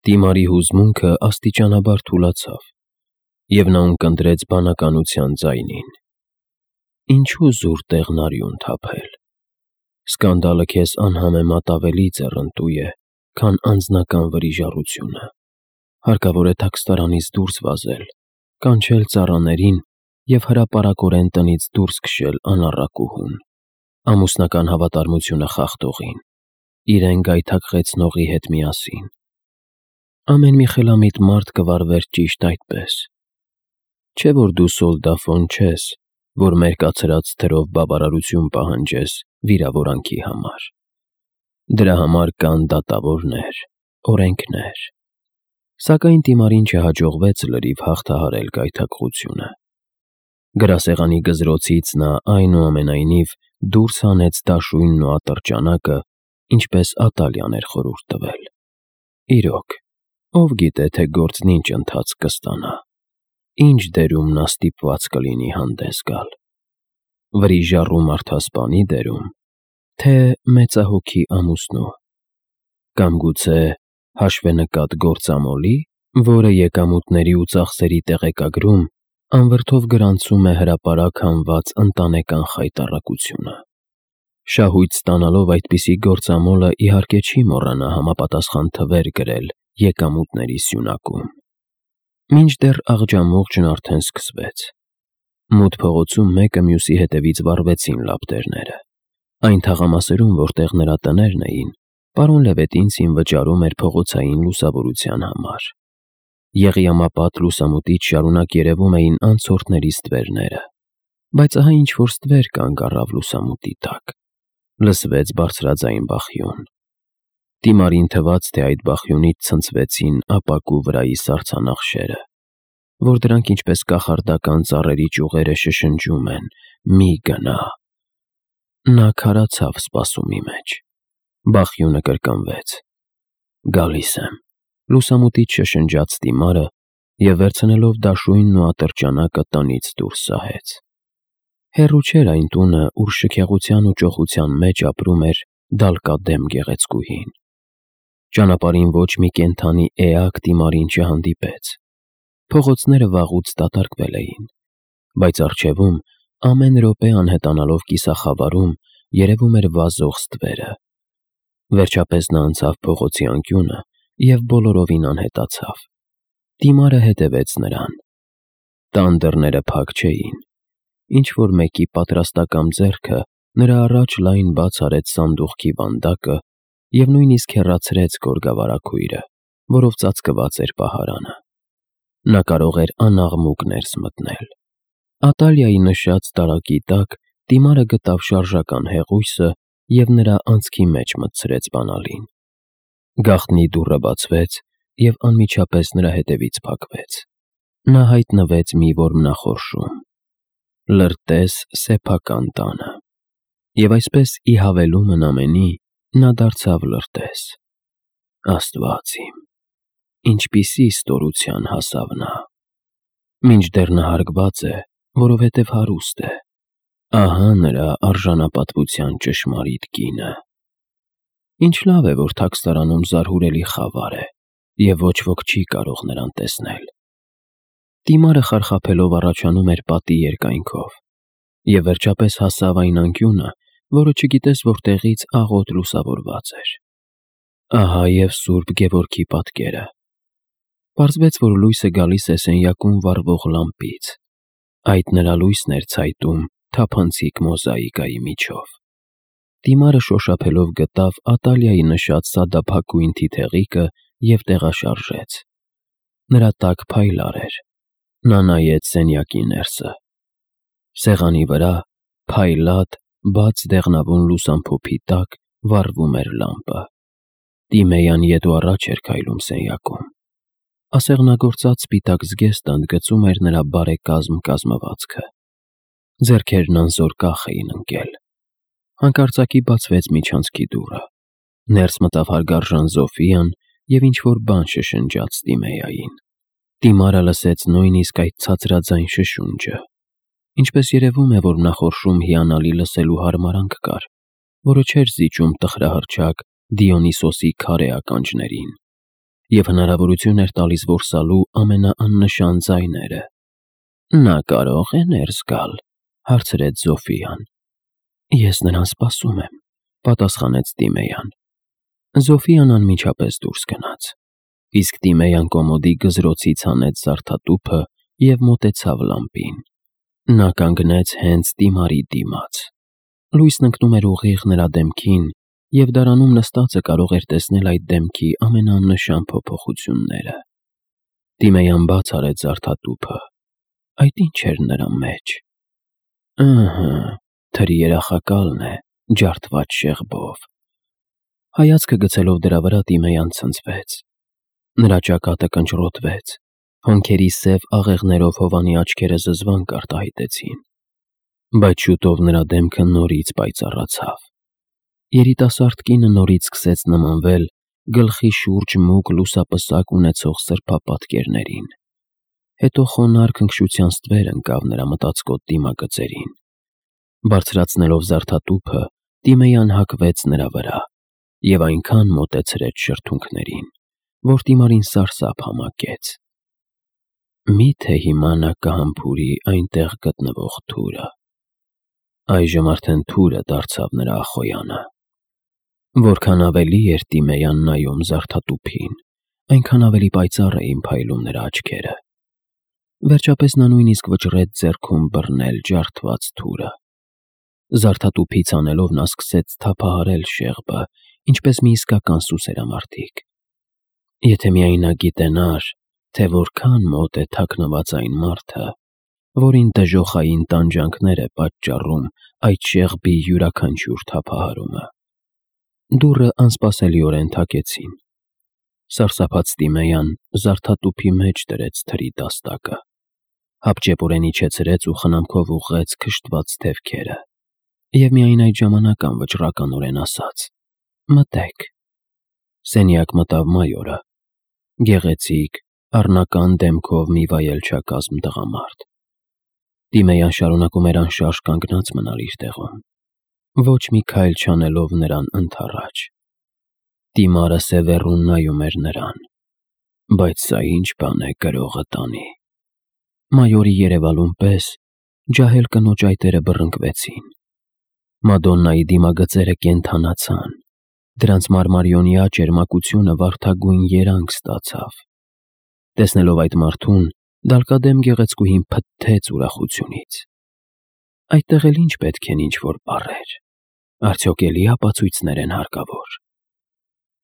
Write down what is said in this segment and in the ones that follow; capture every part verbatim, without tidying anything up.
Դիմարի հուզմունքը աստիճանաբար թուլացավ, և նա ունկնդրեց բանականության ձայնին. «Ինչու զուր տեղն արյուն թափել. սկանդալը քեզ անհամեմատ ավելի ձեռնտու է, քան անձնական վրիժառությունը, հարկավոր է թաքստարանից դուրս վազել, կանչել ծառաներին և հրապարակորեն տնից դուրս քշել անառակուհուն, ամուսնական հավատարմությունը խախտողին, իրեն գայթակղեցնողի հետ միասին։ Ամեն մի խելամիտ մարդ կվարվեր ճիշտ այդպես։ Չէ՞ որ դու սոլդաֆոն չես, որ մերկացրած թրով բավարարություն պահանջես վիրավորանքի համար։ Դրա համար կան դատավորներ, օրենքներ»։ Սակայն Դիմարին չհաջողվեց լրիվ հաղթահարել գայթակղությունը։ Գրասեղանի գզրոցից նա այնուամենայնիվ դուրս հանեց դաշույնն ու ատրճանակը, ինչպես Ատալյան էր խորհուրդ տվել։ Իրոք, ով գիտե, թե գործն ինչ ընթացք կստանա, ինչ դերում նա ստիպված կլինի հանդես գալ՝ վրիժառու մարդասպանի դերում, թե մեծահոգի ամուսնու, կամ գուցե հաշվենկատ գործամոլի, որը եկամուտների ու ծախսերի տեղեկագրում անվրդով գրանցում է հրապարակ հանված ընտանեկան խայտառակությունը։ Շահույթ ստանալով այդպիսի գործամոլը իհարկե չի մոռանա համապատասխան թվեր գրել եկամուտների սյունակում։ Մինչդեռ աղջամուղջն արդեն սկսվեց։ Մութ փողոցում մեկը մյուսի հետևից վառվեցին լապտերները։ Այն թաղամասերում, որտեղ նրա տներն էին, պարոն Լևետինցին վճարում էր փողոցային լուսավորության համար։ Եղիամապատ լուսամուտից շարունակ երևում էին անցորդների ստվերները, բայց ահա ինչ-որ ստվեր կանգ առավ լուսամուտի տակ։ Լսվեց բարձրաձայն բախյուն։ Դիմարին թվաց, թե այդ բախյունից ցնցվեցին ապակու վրայի սառցանախշերը, որ դրանք ինչպես կախարդական ծառերի ճյուղերը շշնջում են. «Մի գնա»։ Նա քարացավ սպասումի մեջ։ Բախյունը կրկնվեց։ «Գալիս եմ», լուսամուտից շշնջաց Դիմարը և վերցնելով դաշույնն ու ատրճանակը տնից դուրս սահեց։ Հեռու չէր այն տունը, ուր շքեղության ու ճոխության մեջ ապրում էր դալկադեմ գեղեցկուհին։ Ճանապարհին ոչ մի կենդանի էակ Դիմարին չհանդիպեց։ Փողոցները վաղուց դատարկվել էին, բայց առջևում, ամեն րոպե անհետանալով կիսախավարում, երևում էր վազող ստվերը։ Վերջապես նա անցավ փողոցի անկյունը և բոլորովին անհետացավ։ Դիմարը հետևեց նրան։ Տան դռները փակ չէին։ Ինչ-որ մեկի պատրաստակամ ձեռքը նրա առաջ լայն բաց արեց սանդուղքի վանդակը և նույնիսկ հեռացրեց գորգավարագույրը, որով ծածկված էր պահարանը։ Նա կարող էր անաղմուկ ներս մտնել։ Ատալիայի նշած տարակի տակ Դիմարը գտավ շարժական հեղուսը և նրա անցքի մեջ մտցրեց բանալին։ Գաղտնի դուռը բացվեց և անմիջապես նրա հետևից փակվեց։ Նա հայտնվեց մի որմնախորշում։ Լրտես սեփական տանը։ Եվ այսպես, ի հավելումն ամենի, նա դարձավ լրտես։ Աստված իմ, ինչպիսի ստորության հասավ նա։ Մինչդեռ նա հարգված է, որովհետև հարուստ է։ Ահա նրա արժանապատվության ճշմարիտ կինը։ Ինչ լավ է, որ թաքստարանում զարհուրելի խավար է, և ոչ ոք չի կարող նրան տեսնել։ Դիմարը խարխափելով առաջանում էր պատի երկայնքով և վերջապես հասավ այն անկյունը, որը չգիտես որտեղից աղոտ լուսավորված էր։ Ահա և Սուրբ Գևորգի պատկերը։ Պարզվեց, որ լույսը գալիս է սենյակում վառվող լամպից։ Այդ նրա լույսն էր ցայտում թափանցիկ մոզաիկայի միջով։ Դիմարը շոշափելով գտավ Ատալիայի նշած սադափակույն թիթեղիկը և տեղաշարժեց։ Նրա տակ փայլար էր։ Նա նայեց սենյակի ներսը։ Սեղանի վրա, փայլատ, բաց դեղնավուն լուսամփոփի տակ վառվում էր լամպը։ Տիմեյան ետ ու առաջ էր քայլում սենյակում։ Ասեղնագործած սպիտակ զգեստը ընդգծում էր նրա բարեկազմ կազմվածքը։ Ձեռքերն անզոր կախ էին ընկել։ Հանկարծակի բացվեց միջանցքի դուռը։ Ներս մտավ հարգարժան Զոֆիան և ինչ-որ բան շշնջաց Տիմեյային։ Դիմարը լսեց նույնիսկ այդ ցածրաձայն շշունջը։ Ինչպես երևում է, որմնախորշում հիանալի լսելու հարմարանք կար, որը չէր զիջում տխրահռչակ Դիոնիսոսի քարե ականջներին։ և հնարավորություն էր տալիս որսալու ամենաաննշան ձայները։ Նա կարո՞ղ է ներս գալ, հարցրեց Զոֆիան։ Ես նրան սպասում եմ, պատասխանեց Տիմեյան։ Զոֆիան անմիջապես դուրս գնաց, իսկ Տիմեյան կոմոդի գզրոցից հանեց զարդատուփը և մոտեցավ լամպին։ Նա կանգնեց հենց Տիմարի դիմաց։ Լույսն ընկնում էր ուղիղ նրա դեմքին, և դարանում նստածը կարող էր տեսնել այդ դեմքի ամենաաննշան փոփոխությունները։ Տիմեյան բաց արեց զարդատուփը։ Այդ ի՞նչ էր նրա մեջ։ Ըհը, թրի երախակալն է, ջարդված շեղբով։ Հայացքը գցելով դրա վրա Տիմեյան ցնցվեց։ Նրա ճակատը կնճռոտվեց, հոնքերի սև աղեղներով հովանի աչքերը զզվանք արտահայտեցին։ Բայց շուտով նրա դեմքը նորից պայծառացավ։ Երիտասարդ կինը նորից սկսեց նմանվել գլխի շուրջ մուգ լուսապսակ ունեցող սրբապատկերներին։ Հետո խոնարհ քնքշության ստվեր ընկավ նրա մտածկոտ դիմագծերին։ Բարձրացնելով զարդատուփը, Տիմեյան հագվեց նրա վրա և այնքան մոտեցրեց շրթունքներին, որ Տիմարին սարսափ համակեց։ Մի՞թե հիմա նա կհամբուրի այնտեղ գտնվող թուրը։ Այժմ արդեն թուրը դարձավ նրա ախոյանը։ Որքան ավելի էր Տիմեյան նայում զարդատուփին, այնքան ավելի պայծառ էին փայլում նրա աչքերը։ Վերջապես նա նույնիսկ վճռեց ձեռքում բռնել ջարդված թուրը։ Զարդատուփից անելով նա սկսեց թափահարել շեղբը, ինչպես մի իսկական սուսերամարտիկ։ Եթե միայն նա գիտենար, թե որքան մոտ է թաքնված այն մարդը, որին դժոխային տանջանքներ է պատճառում այդ շեղբի յուրաքանչյուր թափահարումը։ Դուռը անսպասելիորեն թակեցին։ Սարսափած Տիմեյան զարդատուփի մեջ դրեց թրի տաստակը, հապճեպորեն իջեցրեց ու խնամքով ուղղեց քշտված թևքերը, և միայն այդ ժամանակ անվճռականորեն ասաց. «Մտեք»։ Սենյակ մտավ մայորը, գեղեցիկ, առնական դեմքով մի վայելչակազմ տղամարդ։ Տիմեյան շարունակում էր անշարժ կանգնած մնալ իր տեղում, ոչ մի քայլ չանելով նրան ընդառաջ։ Տիմարը սևեռուն նայում էր նրան։ Բայց սա ինչ բան է կրողը տանի։ Մայորի երևալուն պես ջահել կնոջ այտերը բռնկվեցին։ Մադոննայի դիմագծերը կենդանացան, դրանց մարմարիոնյա ճերմակությունը վարդագույն երանգ ստացավ։ Տեսնելով այդ մարդուն, դալկադեմ գեղեցկուհին փթթեց ուրախությունից։ Այդտեղ էլ ինչ պետք են ինչ-որ բառեր։ Արդյոք էլի ապացույցներ են հարկավոր։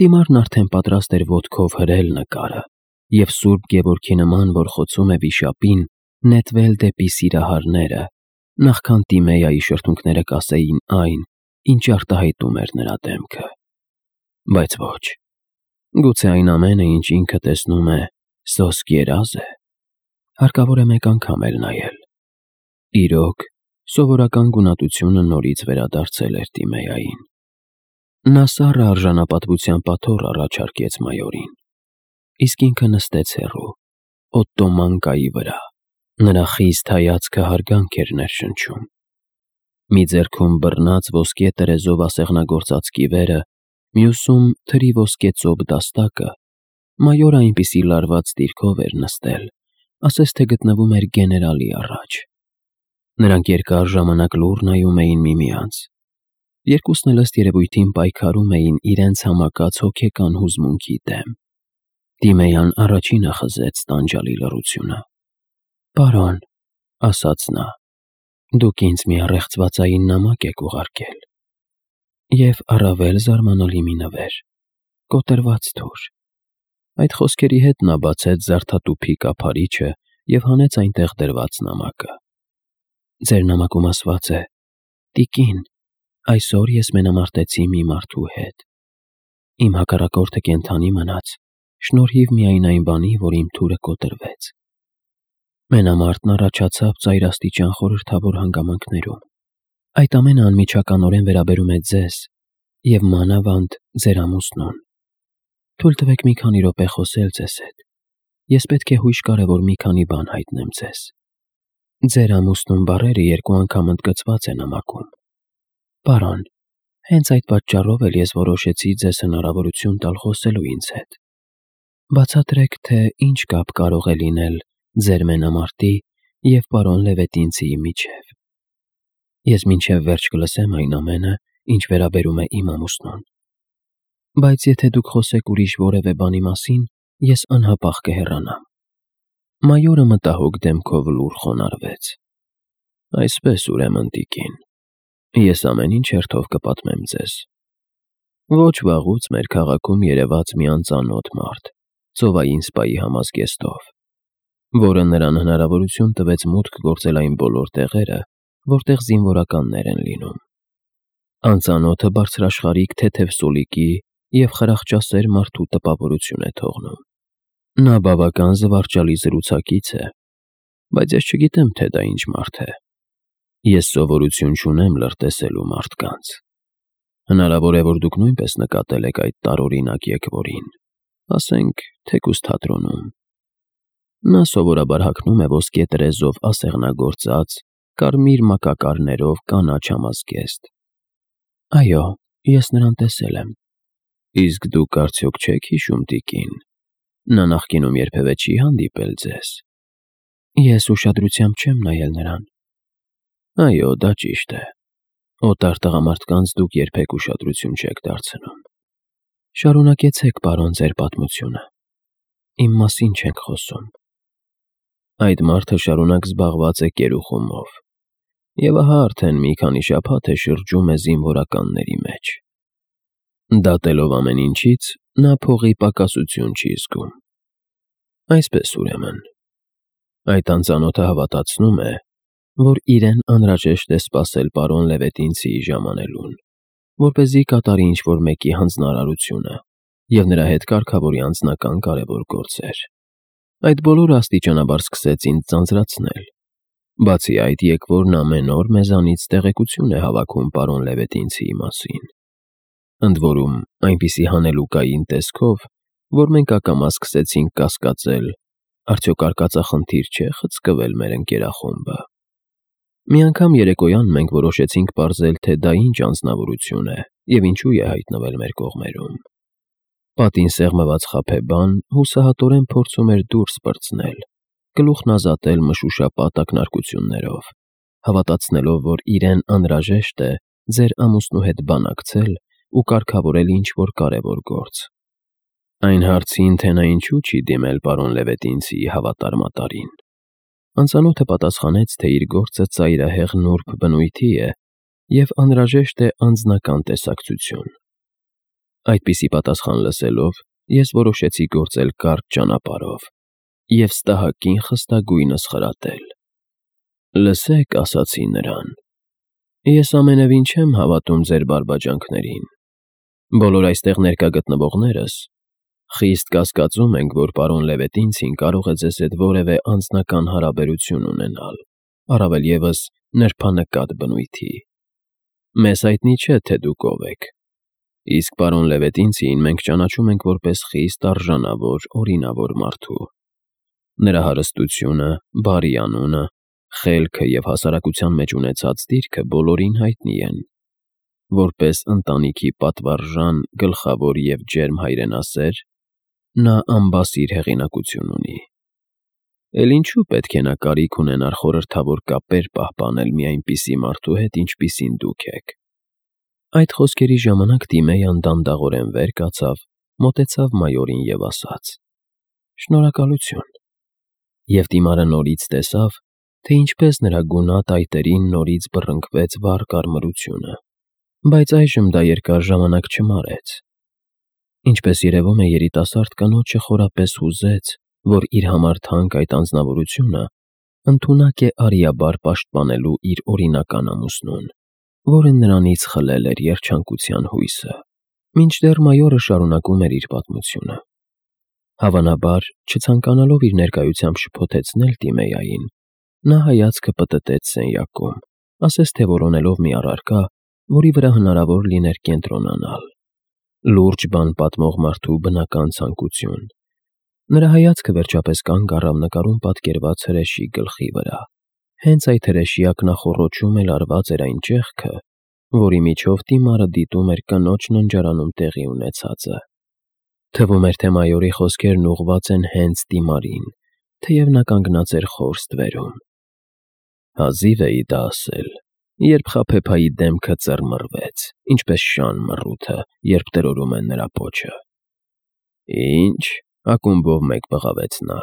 Տիմարն արդեն պատրաստ էր ոտքով հրել նկարը և Սուրբ Գևորգի նման, որ խոցում է վիշապին, նետվել դեպի սիրահարները, նախքան Տիմեյայի շրթունքները կասեին այն, ինչ արտահայտում էր նրա դեմքը։ Բայց ոչ, գուցե այն ամենը, ինչ ինքը տեսնում է, սոսկ երազ է։ Հարկավոր է մեկ անգամ էլ նայել։ Իրոք, սովորական գունատությունը նորից վերադարձել էր Տիմեյային։ Նա սառը արժանապատվության պատոռ առաջարկեց մայորին, իսկ ինքը նստեց հեռու, օտոմանկայի վրա։ Նրա խիստ հայացքը հարգանք էր ներշնչում։ Մի ձեռքում բռնած ոսկե տերեզով ասեղնագործած կիվերը, մյուսում թրի ոսկե ծոփ դաստակը, մայորը այնպիսի լարված դիրքով էր նստել, ասես թե գտնվում էր գեներալի առաջ։ Նրանք երկար ժամանակ լուռ նայում էին միմյանց։ Երկուսն էլ ըստ երևույթին պայքարում էին իրենց համակած հոգեկան հուզմունքի դեմ։ Տիմեյան առաջինը խզեց տանջալի լռությունը։ «Պարոն», ասաց նա, «դուք ինձ մի առեղծվածային նամակ եք ուղարկել»։ Եվ առավել զարմանալի մի նվեր, կոտրված թուր։ Այդ խոսքերի հետ նա բացեց զարդատուփի կափարիչը և հանեց այնտեղ դրված նամակը։ Ձեր նամակում ասված է. «Տիկին, այսօր ես մենամարտեցի մի մարդու հետ։ Իմ հակառակորդը կենդանի մնաց, շնորհիվ միայն այն բանի, որ իմ թուրը կոտրվեց։ Մենամարտն առաջացավ ծայրաստիճան խորհրդավոր հանգամանքներում։ Այդ ամենը անմիջականորեն վերաբերում է ձեզ և մանավանդ ձեր ամուսնուն։ Թույլ տվեք մի քանի րոպե խոսել ձեզ հետ։ Ես պետք է հույժ կարևոր մի քանի բան հայտնեմ ձեզ։ Ձեր ամուսնուն բառերը երկու անգամ ընդգծված է նամակում։ Պարոն, հենց այդ պատճառով էլ ես որոշեցի ձեզ հնարավորություն տալ խոսելու ինձ հետ։ Բացատրեք, թե ինչ կապ կարող է լինել ձեր մենամարտի և պարոն Լևետինցիի միջև։ Ես մինչև վերջ կլսեմ այն ամենը, ինչ վերաբերում է իմ ամուսնուն։ Բայց եթե դուք խոսեք ուրիշ որևէ բանի մասին, ես անհապաղ կհեռանամ։ Մայորը մտահոգ դեմքով լուռ խոնարհվեց։ Այսպես, ուրեմն, տիկին, ես ամեն ինչ հերթով կպատմեմ ձեզ։ Ոչ վաղուց մեր քաղաքում երևաց մի անծանոթ մարդ, ծովային սպայի համազգեստով, որը նրան հնարավորություն տվեց մուտք գործել այն բոլոր տեղերը, որտեղ զինվորականներ են լինում։ Անծանոթը բարձրաշխարհիկ թեթև սոլիկի և խրախճասեր մարդու տպավորություն է թողնում։ Նա բավական զվարճալի զրուցակից է, բայց ես չգիտեմ, թե դա ինչ մարդ է։ Ես սովորություն չունեմ լրտեսելու մարդկանց։ Հնարավոր է, որ դուք նույնպես նկատել եք այդ տարօրինակ եկվորին, ասենք, թեկուզ թատրոնում։ Նա սովորաբար հագնում է ոսկե տրեզով ասեղնագործած, կարմիր մակակարներով կանաչ համազգեստ։ Այո, ես նրան տեսել եմ։ Իսկ դուք արդյոք չեք հիշում, տիկին, նա նախկինում երբևէ չի հանդիպել ձեզ։ Ես ուշադրությամբ չեմ նայել նրան։ Այո, դա ճիշտ է։ Օտար տղամարդկանց դուք երբեք ուշադրություն չեք դարձնում։ Շարունակեցեք, պարոն, ձեր պատմությունը։ Իմ մասին չենք խոսում։ Այդ մարդը շարունակ զբաղված է կերուխումով, և ահա արդեն մի քանի շաբաթ է շրջում է զինվորականների մեջ։ Դատելով ամեն ինչից, նա փողի պակասություն չի զգում։ Այսպես, ուրեմն, այդ անծանոթը հավատացնում է, որ իրեն անհրաժեշտ է սպասել պարոն Լևետինցիի ժամանելուն, որպեսզի կատարի ինչ-որ մեկի հանձնարարությունը և նրա հետ կարգավորի անձնական կարևոր գործեր։ Այդ բոլորը աստիճանաբար սկսեց ինձ ձանձրացնել։ Բացի այդ, եկվորն ամեն օր մեզանից տեղեկություն է հավաքում պարոն Լևետինցիի մասին։ Ընդ որում, այնպիսի հանելուկային տեսքով, որ մենք ակամա սկսեցինք կասկածել, արդյոք արկածախնդիր չէ խցկվել մեր ընկերախումբը։ Մի անգամ երեկոյան մենք որոշեցինք պարզել, թե դա ինչ անձնավորություն է և ինչու է հայտնվել մեր կողմերում։ Պատին սեղմված խաբեբան հուսահատորեն փորձում էր դուրս պրծնել, գլուխն ազատել մշուշապատ ակնարկություններով, հավատացնելով, որ իրեն անհրաժեշտ է ձեր ամուսնու հետ բանակցել ու կարգավորել ինչ-որ կարևոր գործ։ Այն հարցին, թե նա ինչու չի դիմել պարոն Լևետինցիի հավատար-մատարին, անծանոթը պատասխանեց, թե իր գործը ծայրահեղ նուրբ բնույթի է և անհրաժեշտ է անձնական տեսակցություն։ Այդպիսի պատասխան լսելով, ես որոշեցի գործել կարճ ճանապարհով և ստահակին խստագույնս խրատել։ Լսեք, ասացի նրան, ես ամենևին չեմ հավատում ձեր բարբաջանքներին։ Բոլոր այստեղ ներկա գտնվողներս խիստ կասկածում ենք, որ պարոն Լևետինցին կարող է ձեզ հետ որևէ անձնական հարաբերություն ունենալ, առավել ևս նրբանկատ բնույթի։ Մեզ հայտնի չէ, թե դուք ով եք, իսկ պարոն Լևետինցիին մենք ճանաչում ենք որպես խիստ արժանավոր, օրինավոր մարդու։ Նրա հարստությունը, բարի անունը, խելքը և հասարակության մեջ ունեցած դիրքը բոլորին հայտնի են։ Որպես ընտանիքի պատվարժան, գլխավոր և ջերմ հայրենասեր, նա անբասիր հեղինակություն ունի։ Էլ ինչու պետք է նա կարիք ունենար խորհրդավոր կապեր պահպանել մի այնպիսի մարդու հետ, ինչպիսին դուք եք։ Այդ խոսքերի ժամանակ Տիմեյան դանդաղորեն վեր կացավ, մոտեցավ մայորին և ասաց. Շնորհակալություն։ Եվ Տիմարը նորից տեսավ, թե ինչպես նրա գունատ այտերին նորից բռնկվեց վառ կարմրությունը, բայց այժմ դա երկար ժամանակ չմարեց։ Ինչպես երևում է, երիտասարդ կնոջը խորապես հուզեց, որ իր համար թանկ այդ անձնավորությունը ընդունակ է արիաբար պաշտպանելու իր օրինական ամուսնուն, որը նրանից խլել էր երջանկության հույսը։ Մինչդեռ մայորը շարունակում էր իր պատմությունը։ Հավանաբար, չցանկանալով իր ներկայությամբ շփոթեցնել Տիմեյային, նա հայացքը պտտեց սենյակում, ասես թե որոնելով մի առարկա, որի վրա հնարավոր լիներ կենտրոնանալ։ Լուրջ բան պատմող մարդու բնական ցանկություն։ Նրա հայացքը վերջապես կանգ առավ նկարում պատկերված հրեշի գլխի վրա։ Հենց այդ հրեշի ակնախոռոչում էլ արված էր այն ճեղքը, որի միջով Տիմարը դիտում էր կնոջ ննջարանում տեղի ունեցածը։ Թվում էր, թե մայորի խոսքերն ուղղված են հենց Տիմարին, թեև նա կանգնած էր խոր ստվերում։ Հազիվ էի դա ասել, երբ Խաբեբայի դեմքը ծռմռվեց, ինչպես շան մռութը, երբ տրորում են նրա պոչը։ «Ի՞նչ», ակումբով մեկ բղավեց նա,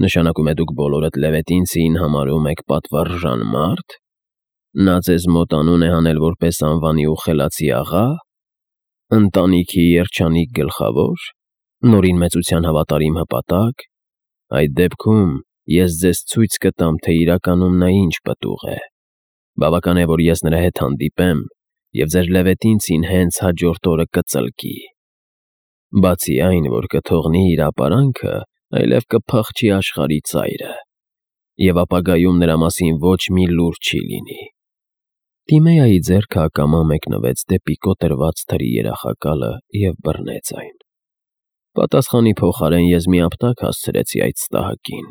«նշանակում է դուք բոլորդ Լևետինցիին համարում եք պատվարժան մարդ։ Նա ձեզ մոտ անուն է հանել որպես անվանի ու խելացի աղա, ընտանիքի երջանիկ գլխավո՞ր, Նորին մեծության հավատարիմ հպատակ։ Այդ դեպքում ես ձեզ ցույց կտամ, թե իրականում նա ինչ պտուղ է։ Բավական է, որ ես նրա հետ հանդիպեմ, և ձեր Լևետինցին հենց հաջորդ օրը կծլկի։ Բացի այն, որ կթողնի իր ապարանքը, այլև կփախչի աշխարհի ծայրը, և ապագայում նրա մասին ոչ մի լուր չի լինի»։ Տիմեայի ձեռքը ակամա մեկնվեց դեպի կոտրված թրի երախակալը և բռնեց այն։ Պատասխանի փոխարեն ես մի ապտակ հասցրեցի այդ ստահակին։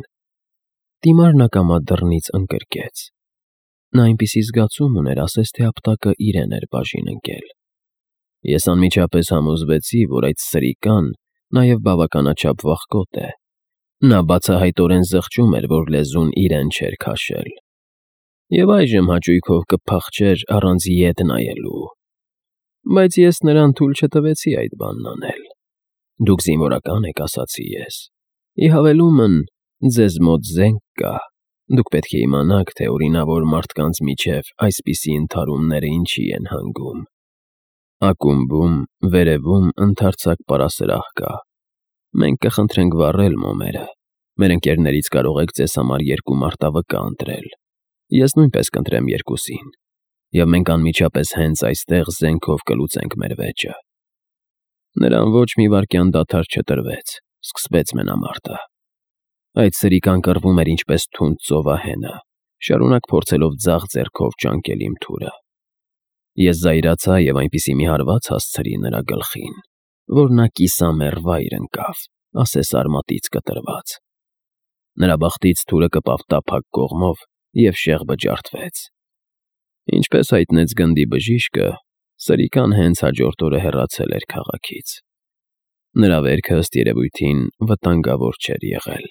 Տիմարն ակամա դռնից ընկրկեց։ Նա այնպիսի զգացում ուներ, ասես թե ապտակը իրեն էր բաժին ընկել։ Ես անմիջապես համոզվեցի, որ այդ սրիկան նաև բավականաչափ վախկոտ է։ Նա բացահայտորեն զղջում էր, որ լեզուն իրեն չէր քաշել։ Եվ այժմ հաճույքով կփախչեր առանց ետ նայելու։ Բայց ես նրան թույլ չտվեցի այդ բանն անել։ «Դուք զինվորական եք», ասացի ես։ «Ի հավելումն, ձեզ մոտ զենք կա։ Դուք պետք է իմանաք, թե օրինավոր մարդկանց միջև այսպիսի ընդհարումները ինչի են հանգում»։ Ակումբում, վերևում ընդարձակ պարասրահ կա։ Մենք կխնդրենք վառել մոմերը։ Մեր ընկերներից կարող եք ձեզ համար երկու մարտավկա ընտրել։ Ես նույնպես կընտրեմ երկուսին, և մենք անմիջապես հենց այստեղ զենքով կլուծենք մեր վեճը։ Նրան ոչ մի վայրկյան դադար չտրվեց, սկսվեց մենամարտը։ Այդ սրիկան կռվում էր ինչպես թունդ ծովահենը, շարունակ փորձելով ձախ ձեռքով ճանկել իմ թուրը։ Ես զայրացա և այնպիսի մի հարված հասցրի նրա գլխին, որ նա կիսամեռ վայր ընկավ, ասես արմատից կտրված։ Նրա բախտից թուրը կպավ տափակ կողմով և շեղբը ջարդվեց։ Ինչպես հայտնեց գնդի բժիշկը, սրիկան հենց հաջորդ օրը հեռացել էր քաղաքից։ Նրա վերքը, ըստ երևույթին, վտանգավոր չէր եղել։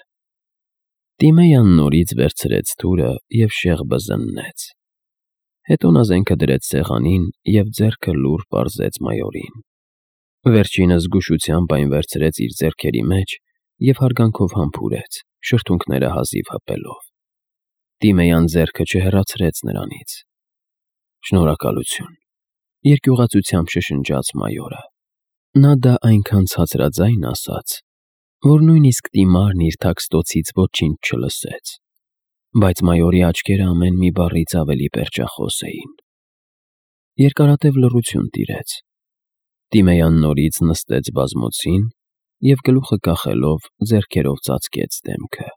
Տիմեյան նորից վերցրեց թուրը և շեղբը զննեց։ Հետո նա զենքը դրեց սեղանին և ձեռքը լուռ պարզեց մայորին։ Վերջինս զգուշությամբ այն վերցրեց իր ձեռքերի մեջ և հարգանքով համբուրեց, շրթունքները հազիվ հպելով։ Տիմեյան ձեռքը չհեռացրեց նրանից։ «Շնորհակալություն», երկյուղածությամբ շշնջաց մայորը։ Նա դա այնքան ցածրաձայն ասաց, որ նույնիսկ Տիմարն իր թաքստոցից ոչինչ չլսեց։ Բայց մայորի աչքերը ամեն մի բառից ավելի պերճախոս էին։ Երկարատև լռություն տիրեց։ Տիմեյան նորից նստեց բազմոցին և գլուխը կախելով ձեռքերով ծածկեց դեմքը։